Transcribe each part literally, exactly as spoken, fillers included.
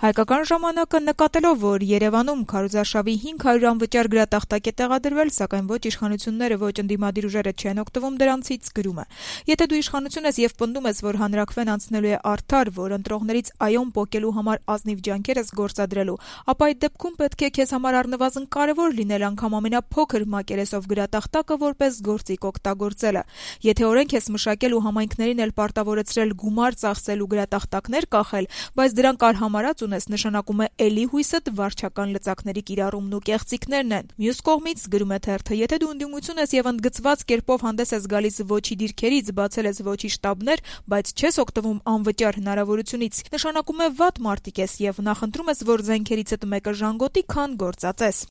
Հայկական ժամանակը նկատելով, որ Երևանում քարոզարշավի հինգ հարյուր անվճար գրատախտակ է տեղադրվել, սակայն ոչ իշխանությունները, ոչ ընդդիմադիր ուժերը չեն օգտվում դրանցից, գրում է. Եթե դու իշխանություն ես եւ պնդում ես, որ հանրաքվեն անցնելու է արդար, որ ընտրողներից այոն պոկելու համար ազնիվ ջանքեր ես գործադրելու, ապա այդ դեպքում պետք է քեզ համար առնվազն կարևոր լինել անգամ ամենափոքր մակերեսով գրատախտակը որպես գործիք օգտագործելը։ Եթե օրենք ես մշակել ու համայնքներին էլ պարտավորեցրել գումար ծախսելու գրատախտակներ կախել, բայց դրանք արհամարած ունես, նշանակում է էլի հույսդ վարչական լծակների կիրառումն ու կեղծիքներն են։ Մյուս կողմից, գրում է թերթը, եթե դու ընդդիմություն ես եւ ընդգծված կերպով հանդես ես գալիս ոչի դիրքերից, բացել ես ոչի շտաբներ, բայց չես օգտվում անվճար հնարավորությունից, նշանակում է վատ մարտիկ ես եւ նախընտրում ես, որ զենքերիցդ մեկը ժանգոտի, քան գործածես։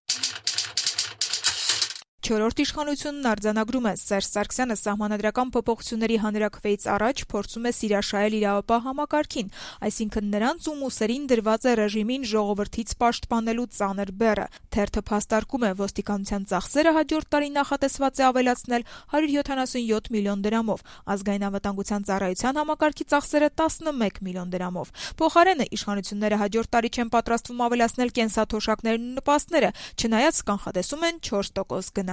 Չորրորդ իշխանությունն արձանագրում է. Սերժ Սարգսյանը սահմանադրական փոփոխությունների հանրաքվեից առաջ փորձում է սիրաշահել իրավապահ համակարգին, այսինքն նրանց, ում ուսերին դրված է ռեժիմին ժողովրդից պաշտպանելու ծանր բեռը։ Թերթը փաստարկում է, ոստիկանության ծախսերը հաջորդ տարի նախատեսված է ավելացնել հարյուր յոթանասունյոթ միլիոն դրամով, ազգային անվտանգության ծառայության համակարգի ծախսերը տասնմեկ միլիոն դրամով։ Փոխարենը իշխանությունները հաջորդ տարի չեն պատրաստվում ավելացնել կենսաթոշակներն ու նպաստները, չնայած կանխատեսում են չորս տոկոս գնաճ։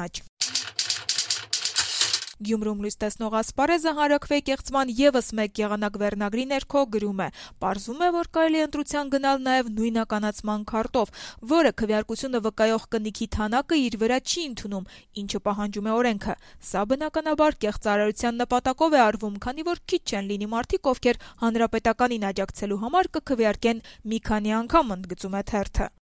Գյումրում լույս տեսնող Ասպարեզը հանրաքվեի կեղծման ևս մեկ եղանակ վերնագրի ներքո գրում է. պարզվում է, որ կարելի է ընտրության գնալ նաև նույնականացման քարտով, որը քվեարկությունը վկայող կնիքի թանակը իր վրա չի ընդունում, ինչը պահանջում է օրենքը։ Սա բնականաբար կեղծարարության նպատակով է արվում, քանի որ քիչ չեն լինի մարդիկ, ովքեր հանրապետականին աջակցելու համար կքվեարկեն մի քանի անգամ, ընդգծում է թերթը։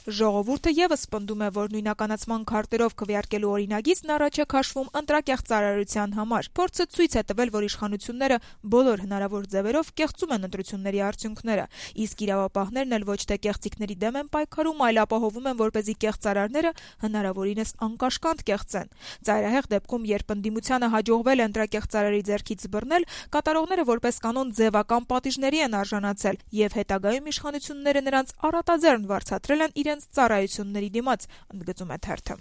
Ժողովուրդը ևս պնդում է, որ նույնականացման քարտերով քվեարկելու օրինագիծն առաջ է քաշվում ընտրակեղծարարության համար։ Փորձը ցույց է տվել, որ իշխանությունները բոլոր հնարավոր ձևերով կեղծում են ընտրությունների արդյունքները, իսկ իրավապահներն էլ ոչ թե կեղծիքների դեմ են պայքարում, այլ ապահովում են, որպեսզի կեղծարարները հնարավորինս անկաշկանդ կեղծեն։ Ծայրահեղ դեպքում, երբ ընդդիմությանը հաջողվել է ընտրակեղծարարի ձեռքից բռնել, կատարողները որպես կանոն ձևական պատիժների են արժանացել, եւ հետագայում իշխանությունները նրանց առատաձեռն վարձատրել են իրենց ծառայությունների դիմաց, ընդգծում է թերթը։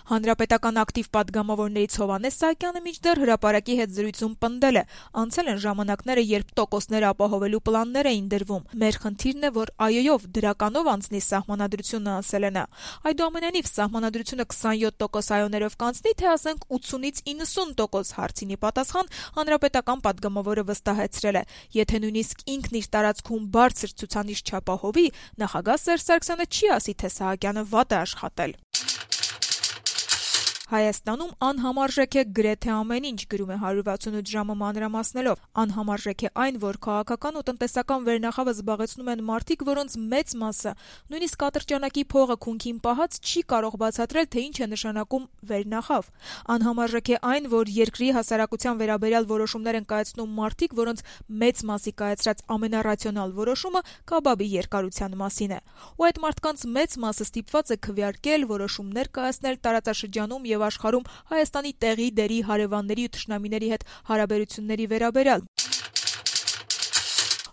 Հանրապետական ակտիվ պատգամավորներից Հովհաննես Սահակյանը մինչդեռ հրապարակի հետ զրույցում պնդել է. անցել են ժամանակները, երբ տոկոսները ապահովելու պլաններ էին դրվում։ Մեր խնդիրն է, որ այոյով դրականով անցնի սահմանադրությունը, ասել է նա։ Այդուամենայնիվ, սահմանադրությունը քսանյոթ տոկոս այոներով կանցնի, թե ասենք ութսունից իննսուն տոկոս, հարցինի պատասխան հանրապետական պատգամավորը վստահեցրել է. եթե նույնիսկ ինքն իր տարածքում բարձր ցուցանիշ չապահովի, նախագահ Սերժ Սարգսյանը չի ասի, թե Սահակյանը վատ է աշխատել։ Հայաստանում անհամարժեք է գրեթե ամեն ինչ, գրում է հարյուր վաթսունութ ժամը մանրամասնելով։ Անհամարժեք է այն, որ քաղաքական ու տնտեսական վերնախավը զբաղեցնում են մարդիկ, որոնց մեծ մասը, նույնիսկ ատրճանակի փողը քունքին պահած, չի կարող բացատրել, թե ինչ է նշանակում վերնախավ։ Անհամարժեք է այն, որ երկրի հասարակության վերաբերյալ որոշումներ են կայացնում մարդիկ, որոնց մեծ մասի կայացրած ամենառացիոնալ որոշումը կաբաբի երկարության մասին է։ Ու այդ մարդկանց մեծ մասը ստիպված է քվեարկել, որոշումներ կայացնել տարածաշրջանում եւ աշխարհում Հայաստանի տեղի, դերի, հարևանների ու թշնամիների հետ հարաբերությունների վերաբերյալ։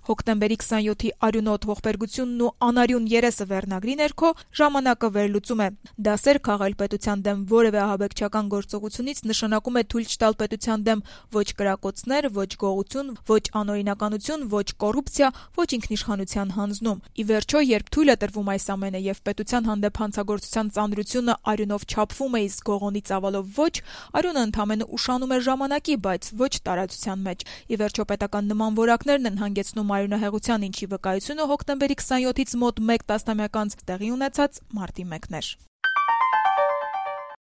Հոկտեմբերի քսանյոթի արյունոտ ողբերգությունն ու անարյուն երեսը վերնագրի ներքո ժամանակը վերլուծում է. դասեր քաղել պետության դեմ որևէ ահաբեկչական գործողությունից նշանակում է թույլ չտալ պետության դեմ ոչ կրակոցներ, ոչ գողություն, ոչ անօրինականություն, ոչ կոռուպցիա, ոչ ինքնիշխանության հանձնում։ Ի վերջո, երբ թույլ է տրվում այս ամենը եւ պետության հանդեպ հանցագործության ծանրությունը արյունով չափվում է, իսկ գողոնի ծավալով ոչ, արյունը ընդամենը ուշանում է ժամանակի, բայց ոչ տարածության մեջ։ Ի վերջո, պետական նման որակներն են հանգեցնում արյունահեղության, ինչի վկայությունը հոկտեմբերի քսանյոթից մոտ մեկ տասնամյակ անց տեղի ունեցած մարտի մեկն էր։